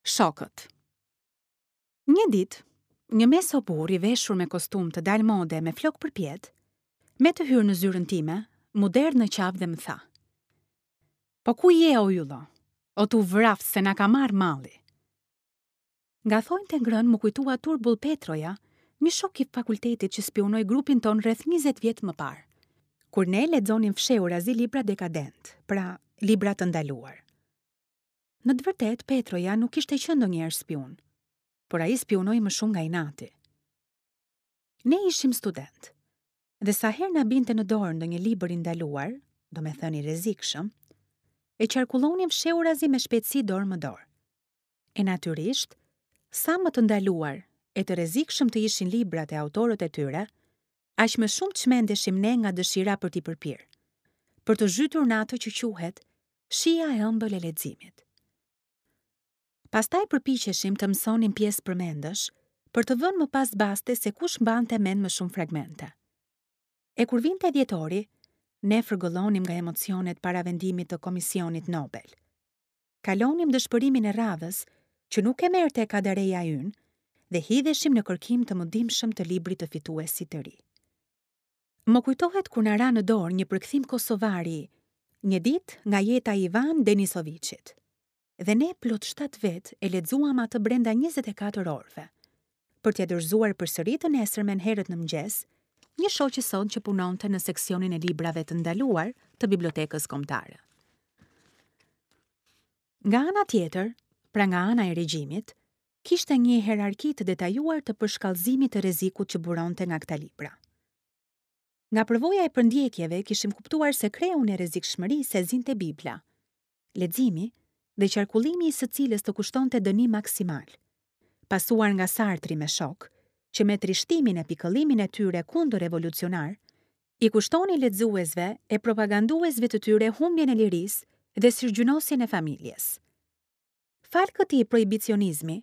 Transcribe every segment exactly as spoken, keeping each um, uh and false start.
Shokët. Një ditë, një meso burr i veshur me kostum të dalë mode me flok përpjetë, me të hyrë në zyrën time, m'u derdh në qafë dhe më tha: "Po ku je, o Yllo? O t'u vraft se na ka marrë malli." Nga thonjtë e ngrënë m'u kujtua turbull Petroja, një shok i fakultetit që spiunoi grupin tonë rreth njëzet vjet më parë, kur ne lexonim fshehurazi libra dekadent, pra libra të ndaluar. Në të vërtetë, Petroja nuk kishte qenë ndonjëherë spiun, por ai spiunoi më shumë nga inati. Ne ishim student, dhe sa herë na binte në dorë ndonjë libër i ndaluar, domethënë i rrezikshëm, e qarkullonim fshehurazi me shpejtësi dorë më dorë. E natyrisht, sa më të ndaluar e të rrezikshëm të ishin librat e autorët e tyre, aq më shumë çmendeshim ne nga dëshira për t'i përpirë, për të zhytur në atë që quhet shija e ëmbël e leximit. Pastaj përpiqeshim të mësonim pjesë përmendësh, për të vënë më pas baste se kush mbante mend më shumë fragmente. E kur vinte dhjetori, ne fërgëllonim nga emocionet para vendimit të Komisionit Nobel. Kalonim dëshpërimin e radhës, që nuk e merrte Kadareja ynë, dhe hidheshim në kërkim të mëdimshëm të librit të fituesit të ri. Më kujtohet kur na ra në dorë një përkthim kosovari, një ditë nga jeta e Ivan Denisoviçit. Dhe ne plot shtatë vet e lexuam atë brenda njëzet e katër orëve, për t'ia dorëzuar përsëri të nesërmen herët në mëngjes, një shoqe son që punonte në seksionin e librave të ndaluar të Bibliotekës Kombëtare. Nga ana tjetër, pra nga ana e regjimit, kishte një hierarki të detajuar të përshkallëzimit të rrezikut që buronte nga këta libra. Nga përvoja e përndjekjeve kishim kuptuar se kreun e rrezikshmërisë e zinte Bibla, leximi dhe qarkullimi i së cilës të kushtonte dënim maksimal, pasuar nga Sartri me shok, që me trishtimin e pikëllimin e tyre kundër revolucionar, i kushtoni lexuesve e propaganduesve të tyre humbjen e lirisë dhe syrgjynosjen e familjes. Fal këtij prohibicionizmi,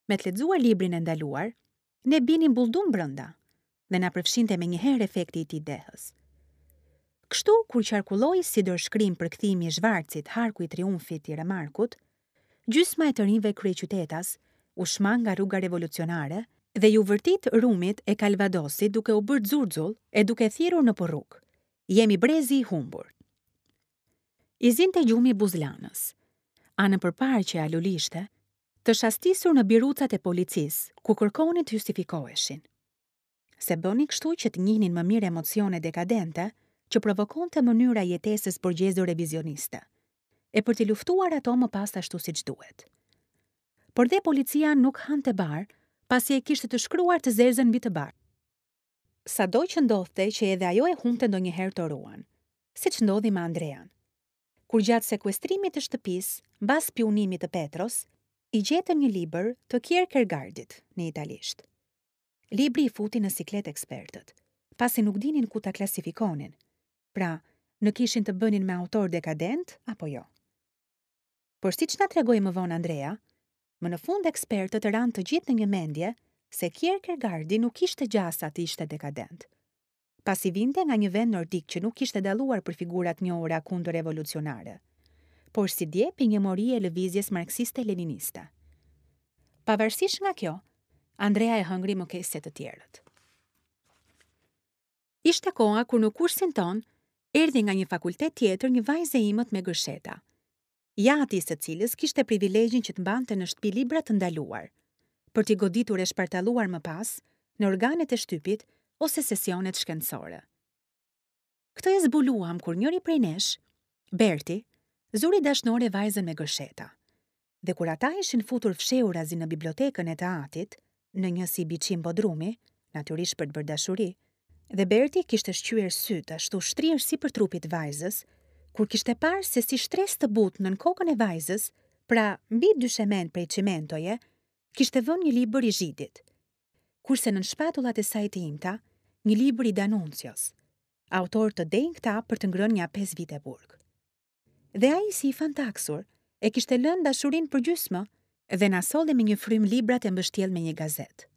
me të lexuar librin e ndaluar, ne binim bulldum brenda dhe na përfshinte menjëherë efekti i tij dehës. Kështu, kur qarkulloi si dorëshkrim përkthimi i Zhvarcit, Harku i Triumfit i Remarkut, gjysma e të rinjve kryeqytetas u shmang nga rruga revolucionare dhe ju vërtit rumit e Kalvadosit duke u bërë xurxull e duke thirrur në porrug. Jemi brezi i humbur. I zinte gjumi buzlanës, anën përparë që alulishte, të shastisur në birucat e policisë, ku kërkonin të justifikoheshin. Se bëni kështu që të njihnin më mirë emocione dekadente që provokonte mënyra jetesës borgjezore revizioniste, e për t'i luftuar ato më pas ashtu siç duhet. Por dhe policia nuk hante bar, pasi e kishte të shkruar të zezën mbi të bar. Sado që ndodhte që edhe ajo e humbte ndonjëherë të ruan, siç ndodhi me Andrean. Kur gjatë sekuestrimit të shtëpisë, mbas spiunimit të Petros, i gjetën një libër të Kierkegaardit në italisht. Libri i futi në siklet ekspertët, pasi nuk dinin ku ta klasifikonin, pra në kishin të bënin me autor dekadent apo jo. Por siç na tregoi më vonë Andrea, më në fund ekspertët ranë të gjithë në një mendje se Kierkegaardi nuk kishte gjasa të ishte dekadent, pasi vinte nga një vend nordik që nuk kishte dalluar për figurat njohura kundërrevolucionare, por si djep i një morie e lëvizjes marksiste-leniniste. Pavarësisht nga kjo, Andrea e hëngri më keq se të tjerët. Ishte koha kur në kursin ton erdhi nga një fakultet tjetër një vajzë e imët me gërsheta, jati i së cilës kishte privilegjin që të mbante në shtëpi libra të ndaluar, për t'i goditur e shpartalluar më pas në organet e shtypit ose sesionet shkencore. Këtë e zbuluam kur njëri prej nesh, Berti, zuri dashnore vajzën me gërsheta, dhe kur ata ishin futur fshehurazi në bibliotekën e të atit, në një si biçim bodrumi, natyrisht për të bërë dashuri, dhe Berti kishte shqyer sytë ashtu shtrirë sipër trupit vajzës, kur kishte parë se si shtresë të butë nën kokën e vajzës, pra mbi dyshemen prej çimentoje, kishte vënë një libër i Zhidit, kurse nën shpatullat e saj të imta, një libër i Danuncios, autor të denjë këta për të ngrënë nja pesë vite burg. Dhe ai si i fantaksur, e kishte lënë dashurinë përgjysmë dhe na solli me një frymë librat e mbështjell me një gazetë.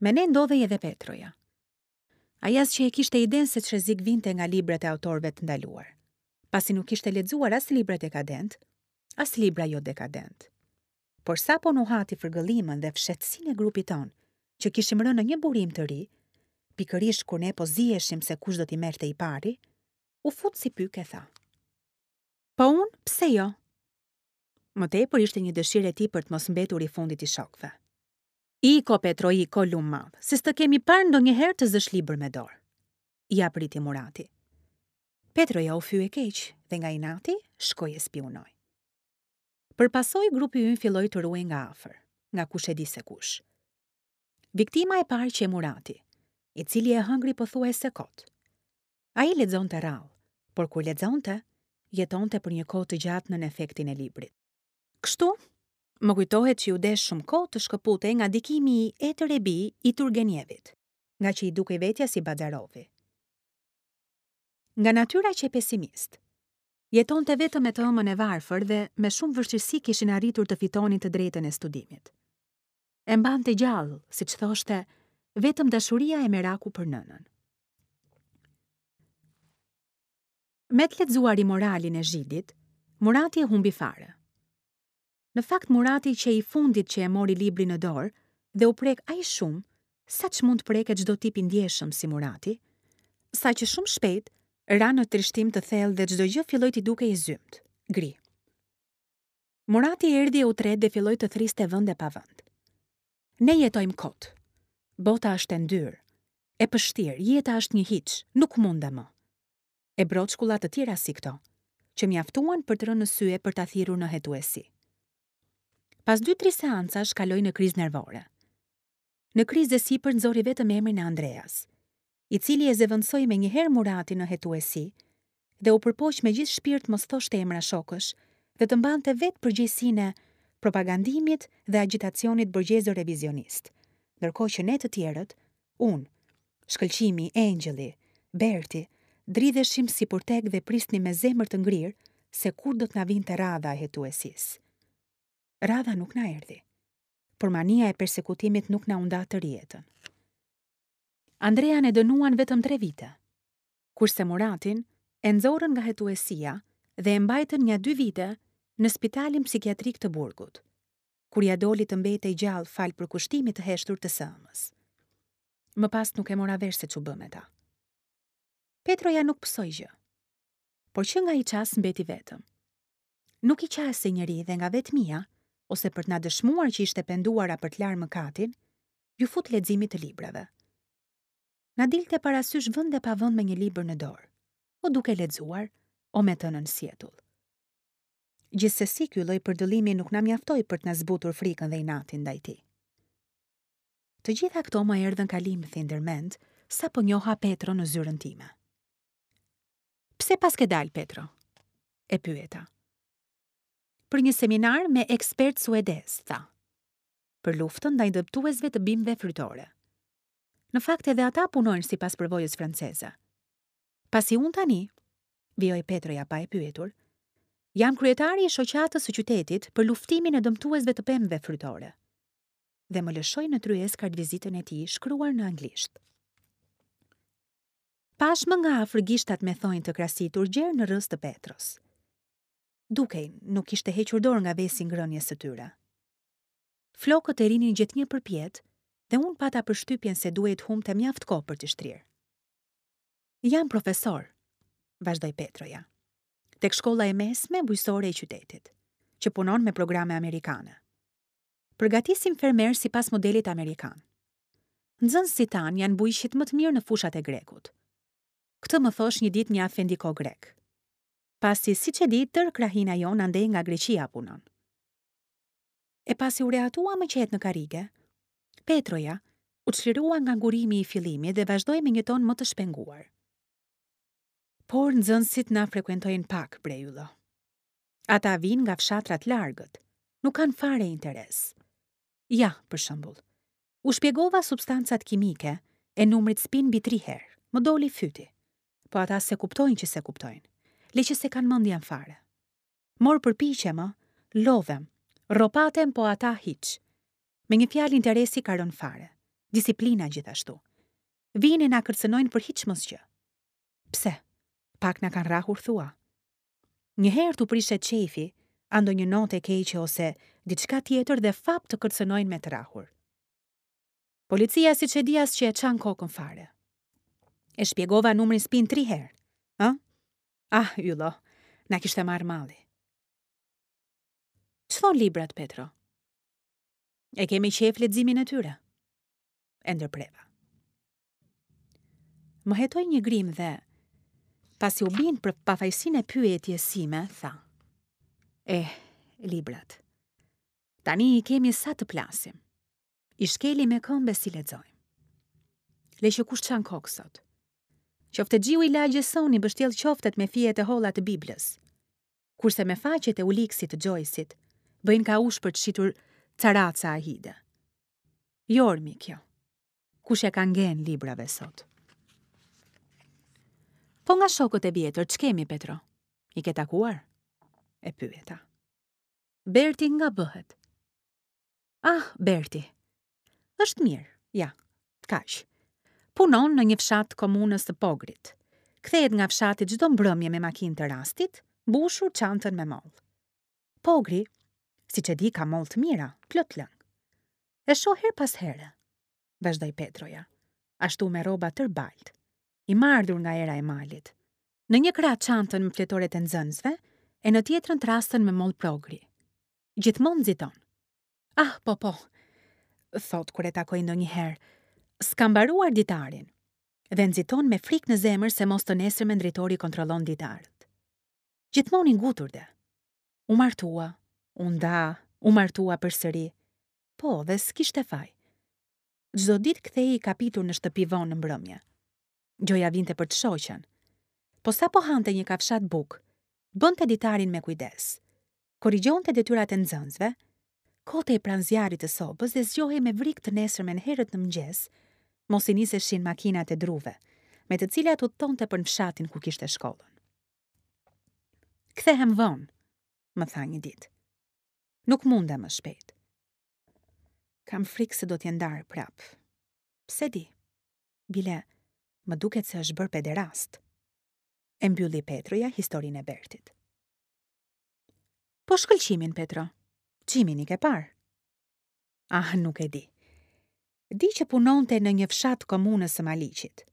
Me ne ndodhej edhe Petroja. Ai as që e kishte idenë se ç'rrezik vinte nga librat e autorëve të ndaluar, pasi nuk kishte lexuar as libra dekadent, as libra jo dekadent. Por sapo nuhati fërgëllimën dhe fshehtësinë e grupit tonë, që kishim rënë në një burim të ri, pikërisht kur ne po ziheshim se kush do t'i merrte i pari, u fut si pyk e tha: "Po unë, pse jo?" Më tepër ishte një dëshirë e tij për të mos mbetur i fundit i shokëve. "Iko, Petro, iko, lum madh, se s'të kemi parë ndonjëherë të zësh libër me dorë." Ia priti Murati. Petroja u fye keq dhe nga inati shkoi e spiunoi. Për pasojë grupi ynë filloi të ruhej nga afër, nga kush e di se kush. Viktima e parë qe Murati, i cili e hëngri pothuajse kot. Ai lexonte rrallë, por kur lexonte, jetonte për një kohë të gjatë nën efektin e librit. Kështu, më kujtohet që iu desh shumë kohë të shkëputej nga ndikimi i Etër e Bij i Turgenjevit, nga që i dukej vetja si Bazarovi. Nga natyra qe pesimist. Jetonte vetëm me të ëmën e varfër dhe me shumë vështirësi kishin arritur të fitonin të drejtën e studimit. E mbante gjallë, siç thoshte, vetëm dashuria e meraku për nënën. Me të lexuari moralin e Zhidit, Murati e humbi fare. Në fakt Murati qe i fundit që e mori librin në dorë dhe u prek aq shumë, sa ç'mund të preket çdo tip i ndjeshëm si Murati, saqë shumë shpejt ra në trishtim të thellë dhe çdo gjë filloi t'i dukej e zymtë, gri. Murati erdhi e u tret dhe filloi të thriste vend e pa vend. Ne jetojmë kot. Bota është e ndyrë, e pështirë, jeta është një hiç, nuk mundem më. E broçkulla të tjera si këto, që mjaftuan për të rënë në sy e për ta thirrur në hetuesi. Pas dy-tri seancash kaloi në krizë nervore. Në krizë e sipër nxori vetëm emrin e Andreas, i cili e zëvendësoi me njëherë Muratin në hetuesi dhe u përpoq me gjithë shpirt mos thoshte emra shokësh dhe të mbante vetë përgjegjësinë e propagandimit dhe agjitacionit borgjezo revizionist, ndërkohë që ne të tjerët, unë, Shkëlqimi, Engjëlli, Berti, dridheshim si purtek dhe prisnim me zemër të ngrirë se kur do të na vinte radha e hetuesisë. Radha nuk na erdhi, por mania e persekutimit nuk na u nda tërë jetën. Andrean e dënuan vetëm tre vite, kurse Muratin e nxorën nga hetuesia dhe e mbajtën nja dy vite në spitalin psikiatrik të burgut, kur ia doli të mbetej gjallë fal përkushtimit të heshtur të së ëmës. Më pas nuk e mora vesh se ç'u bë me ta. Petroja nuk pësoi gjë, por që nga ai çast mbeti vetëm. Nuk i qasej njeri dhe nga vetmia, ose për të na dëshmuar që ishte penduara për të larë mëkatin, ju fut leximit të librave. Na dilte parasysh vend e pa vend me një libër në dorë, o duke lexuar, o me të nën sjetull. Gjithsesi ky lloj përdëllimi nuk na mjaftoi për të na zbutur frikën dhe inatin ndaj tij. Të gjitha këto më erdhën kalimthi ndërmend sapo njoha Petro në zyrën time. Pse paske dal, Petro? E pyeta. Për një seminar me ekspert suedez, tha. Për luftën ndaj dëmtuesve të bimëve frytore. Në fakt edhe ata punojnë sipas përvojës franceze. Pasi unë tani, vijoi Petroja pa e pyetur, jam kryetari i shoqatës së qytetit për luftimin e dëmtuesve të pemëve frytore. Dhe më lëshoi në tryezë kartvizitën e tij shkruar në anglisht. Pash më nga afër gishtat me thonjë të krasitur gjer në rrës të Petros. Dukej, nuk kishte hequr dorë nga vesi ngrënies së tyre. Flokët e rinin gjithnjë përpjetë dhe unë pata përshtypjen se duhej të humbte mjaft kohë për t'i shtrirë. Jam profesor, vazhdoi Petroja, tek shkolla e mesme bujqësore e qytetit, që punon me programe amerikane. Përgatisim fermer sipas modelit amerikan. Nxënësit tanë janë bujqit më të mirë në fushat e grekut. Këtë më thosh një ditë një afendiko grek. Pasi, siç e di, tërë krahina jonë andej nga Greqia punon. E pasi u rehatua më qetë në karrige, Petroja u çlirua nga ngurimi i fillimit dhe vazhdoi me një ton më të shpenguar. Por nxënësit na frekuentojnë pak, bre Yllo. Ata vijnë nga fshatrat largët, nuk kanë fare interes. Ja, për shembull, u shpjegova substancat kimike e numrit spin mbi tri herë, më doli fyti. Po ata se kuptojnë që se kuptojnë, le që se kanë mendjen fare. Mor përpiqem, ë, lodhem, rropatem, po ata hiç. Me një fjalë interesi ka rënë fare, disiplina gjithashtu. Vijnë e na kërcënojnë për hiç mos gjë. Pse? Pak na kanë rrahur thua. Një herë t'u prishet qejfi, a ndonjë notë e keqe ose diçka tjetër dhe fap të kërcënojnë me të rrahur. Policia siç e di as që e çan kokën fare. E shpjegova numrin spin tri herë. Ë? Ah, Yllo, na kishte marrë malli. Ç'thon librat, Petro? E kemi qejf leximin e tyre. E ndërpreva. Më hetoi një grimë dhe, pasi u bind për pafajësinë e pyetjes sime, tha. Eh, librat. Tani i kemi sa të plasim. I shkelim me këmbë s'i lexojmë. Le që kush çan kokë sot. Qoftexhiu i lagjes sonë i mbështjell qoftet me fijet e holla të Biblës. Kurse me faqet e Uliksit të Xhojsit, bëjnë kaush për të shitur caraca a hide. Jormi kjo. Kush e ka ngen librave sot? Po nga shokët e vjetër, ç'kemi, Petro? I ke takuar? E pyeta. Berti nga bëhet? Ah, Berti. Është mirë, ja, kaq. Punon në një fshat komunës të Pogrit. Kthehet nga fshati çdo mbrëmje me makinë të rastit, mbushur çantën me mollë. Pogri, siç e di, ka mollë të mira, plot lëng. E shoh herë pas here, vazhdoi Petroja, ashtu me rroba tërë baltë, i mardhur nga era e malit. Në një krah çantën me fletoret e nxënësve, e në tjetrën trastën me mollë progri. Gjithmonë nxiton. Ah, po, po, thot kur e takoj ndonjëherë, s'ka mbaruar ditarin, dhe nxiton me frikë në zemër se mos të nesërmen drejtori kontrollon ditarët. Gjithmonë i ngutur dhe. U martua, u nda, u martua përsëri. Po, dhe s'kishte faj. Çdo ditë kthehej i kapitur në shtëpi vonë në mbrëmje. Gjoja vinte për të shoqen. Po sapo hante një kafshat bukë, bënte ditarin me kujdes. Korrigjonte detyrat e nxënësve, kotej pranë zjarrit të sobës dhe zgjohej me vrik të nesërmen herët në mëngjes, mos i niseshin makinat e druve, me të cilat udhtonte për në fshatin ku kishte shkollën. Kthehem vonë, më tha një ditë. Nuk mundem më shpejt. Kam frikë se do t'je ndarë prap. Pse di? Bile, më duket se është bërë pederast. E mbylli Petroja historinë e Bertit. Po shkëlqimin, Petro, Qimin i ke parë? Ah, nuk e di. Di që punonte në një fshat komunës së Maliqit.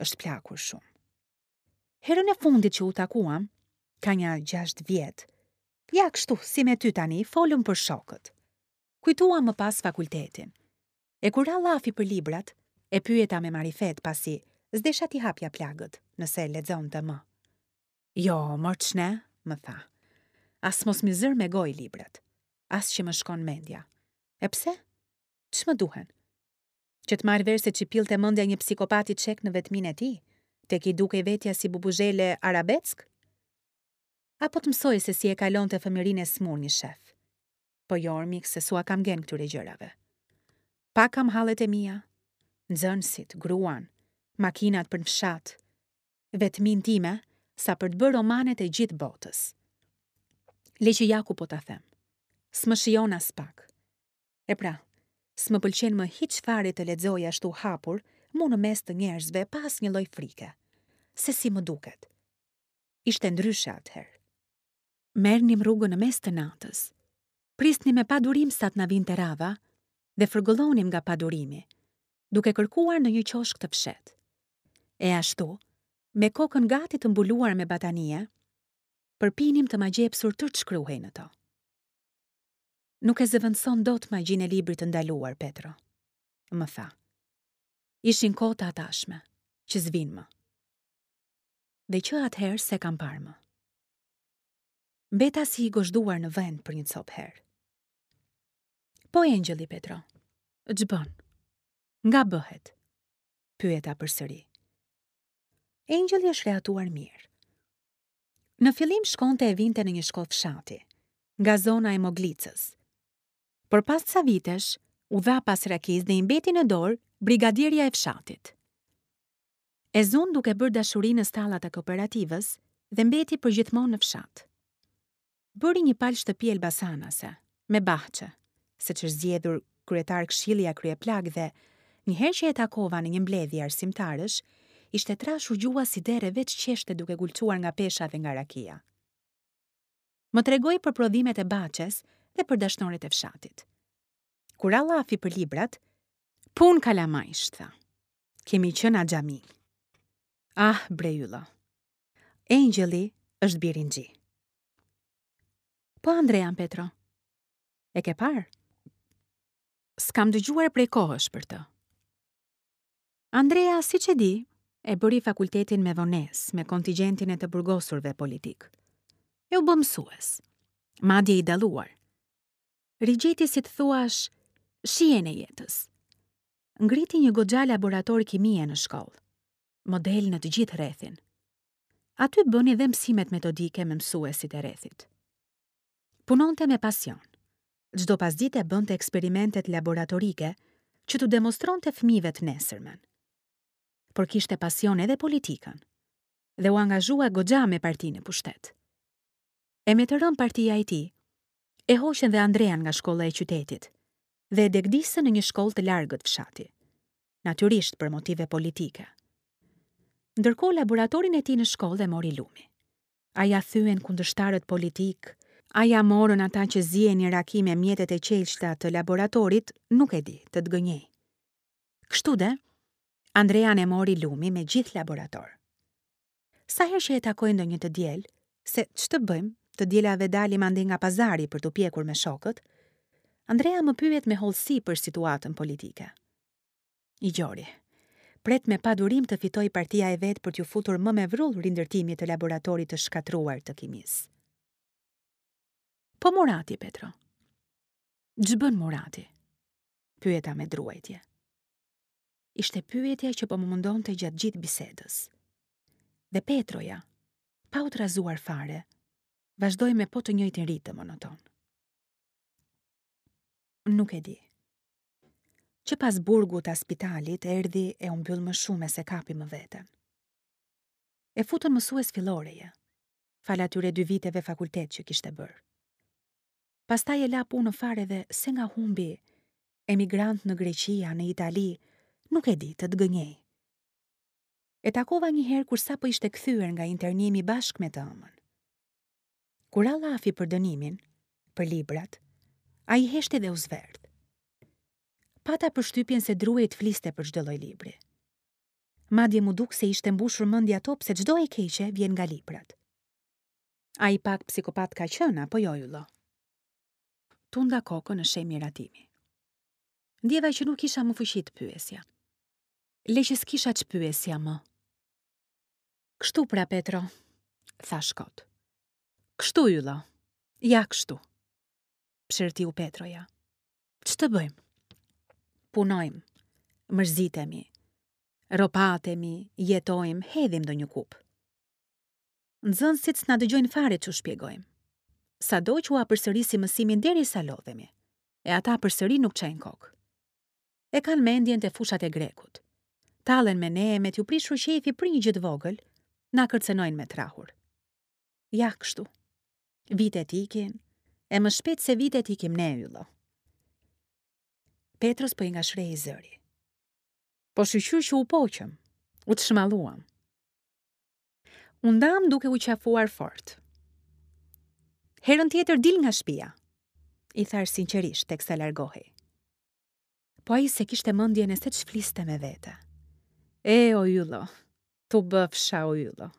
Është plakur shumë. Herën e fundit që u takuam, ka një gjashtë vjet, ja kështu, si me ty tani, folëm për shokët. Kujtuam më pas fakultetin. E kur ra llafi për librat, e pyeta me marifet pasi s'desha t'i hapja plagët, nëse lexonte më. Jo, mor ç'ne, më tha. As mos m'i zër me gojë librat, as që më shkon mendja. E pse? Ç'më duhen? Që të marrë vesh se ç'i pillte mendja një psikopati çek në vetminë e tij, tek i dukej vetja si bubuzhele arabesk? Apo të mësoj se si e kalonte fëmijërinë e smur një shef? Po jo, mik, se s'ua kam gen këtyre gjërave. Pa kam hallet e mia, nxënësit, gruan, makinat për në fshat, vetminë time sa për të bërë romanet e gjithë botës. Le që ja ku po ta them. S'më shijon as pak. E pra, s'më pëlqen më hiç fare të lexoj ashtu hapur, mu në mes të njerëzve pa asnjë lloj frike. Se si më duket. Ishte ndryshe atëherë. Merrnim rrugën në mes të natës. Prisnim me padurim sa të na vinte radha dhe fërgëllonim nga padurimi, duke kërkuar në një qoshk të fshehtë. E ashtu, me kokën gati të mbuluar me batanije, përpinim të magjepsur tërë ç'shkruhej në to. Nuk e zëvendëson dot magjinë e librit të ndaluar, Petro, më tha. Ishin kohë të atashme, që s'vin më. Dhe që atëherë se kam parë më. Mbeta si i gozhduar në vend për një copë herë. Po Engjëlli, Petro, ç'bën? Nga bëhet? Pyeta përsëri. Engjëlli është rehatuar mirë. Në fillim shkonte e vinte në një shkollë fshati, nga zona e Moglicës. Por pas ca vitesh, u dha pas rakisë dhe i mbeti në dorë brigadierja e fshatit. E zun duke bërë dashuri në stallat e kooperativës dhe mbeti përgjithmonë në fshat. Bëri një palë shtëpi elbasanase, me bahçe, se që është zgjedhur kryetar këshilli a kryeplak dhe një herë që e takova në një mbledhje arsimtarësh, ishte trashur gjuha si derre veç qeshte duke gulçuar nga pesha dhe nga rakia. Më tregoi për prodhimet e bahçes dhe për dashnoret e fshatit. Kur ra llafi për librat, punë kalamajsh, tha. Kemi qenë axhaminj. Ah, bre Yllo. Engjëlli është birinxhi. Po Andrean, Petro? E ke parë? S'kam dëgjuar prej kohësh për të. Andrea, siç e di, e bëri fakultetin me vonesë, me kontingjentin e të burgosurve politikë. E u bë mësues, madje i dalluar. Rigjeti, si të thuash, shijen e jetës. Ngriti një goxha laborator kimie në shkollë, model në të gjithë rrethin. Aty bëni dhe mësimet metodike me mësuesit e rrethit. Punonte me pasion. Çdo pasdite bënte eksperimentet laboratorike që t'u demonstronte fëmijëve të nesërmen. Por kishte pasion edhe politikën dhe u angazhua goxha me partinë në pushtet. E me të rënë partia e tij, e hoqën dhe Andrean nga shkolla e qytetit dhe e degdisën në një shkollë të largët fshati, natyrisht për motive politike. Ndërkohë laboratorin e tij në shkollë e mori lumi. A ia thyen kundërshtarët politikë, a ia morën ata që zienin raki me mjetet e qelqta të laboratorit, nuk e di, të të gënjej. Kështu de, Andrean e mori lumi me gjithë laborator. Sa herë që e takoj ndonjë të diel, se ç'të bëjmë, të dielave dalim andej nga pazari për t'u pjekur me shokët, Andrea më pyet me hollësi për situatën politike. I gjori, pret me padurim të fitojë partia e vet për t'ju futur më me vrull rindërtimit të laboratorit të shkatërruar të kimisë. Po Murati, Petro? Ç'bën Murati? Pyeta me druajtje. Ishte pyetja që po më mundonte gjatë gjithë bisedës. Dhe Petroja, pa u trazuar fare, vazhdoi me po të njëjtin ritëm monoton. Nuk e di. Që pas burgut a spitalit erdhi e u mbyll më shumë e s'e kapi më veten. E futën mësues filloreje, falë atyre dy viteve fakultet që kishte bërë. Pastaj e la punën fare dhe se nga humbi, emigrant në Greqi a në Itali, nuk e di, të të gënjej. E takova një herë kur sapo ishte kthyer nga internimi bashkë me të ëmën. Kur ra llafi për dënimin, për librat, ai heshti dhe u zverdh. Pata përshtypjen se druhej të fliste për çdo lloj libri. Madje m'u duk se ishte mbushur mendja top se çdo e keqe vjen nga librat. Ai pak psikopat ka qenë, apo jo, Yllo? Tunda kokën në shenjë miratimi. Ndjeva që nuk kisha më fuqi të pyesja. Le që s'kisha ç'pyesja më. Kështu pra, Petro, thash kot. Kështu, Yllo, ja kështu. Psherëtiu Petroja. Ç'të bëjmë? Punojmë, mërzitemi, ropatemi, jetojmë, hedhim ndonjë kupë. Nxënësit s'na dëgjojnë fare ç'u shpjegojmë. Sado që ua përsërisim mësimin derisa lodhemi, e ata përsëri nuk çajnë kokë. E kanë mendjen te fushat e grekut. Tallen me ne e me t'ju prishur qejfi për një gjë të vogël, na kërcënojnë me trahur. Ja kështu. Vitet ikin, e më shpejt se vitet ikim ne, Yllo. Petros po i ngashërhej zëri. Po shyqyr që u poqëm, u të shmalluam. U ndam duke u qafuar fort. Herën tjetër dil nga shtëpia, i thash sinqerisht teksa largohej. Po ai se kishte mendjen e se ç'fliste me vete. E, o Yllo, tu bëfsha o Yllo.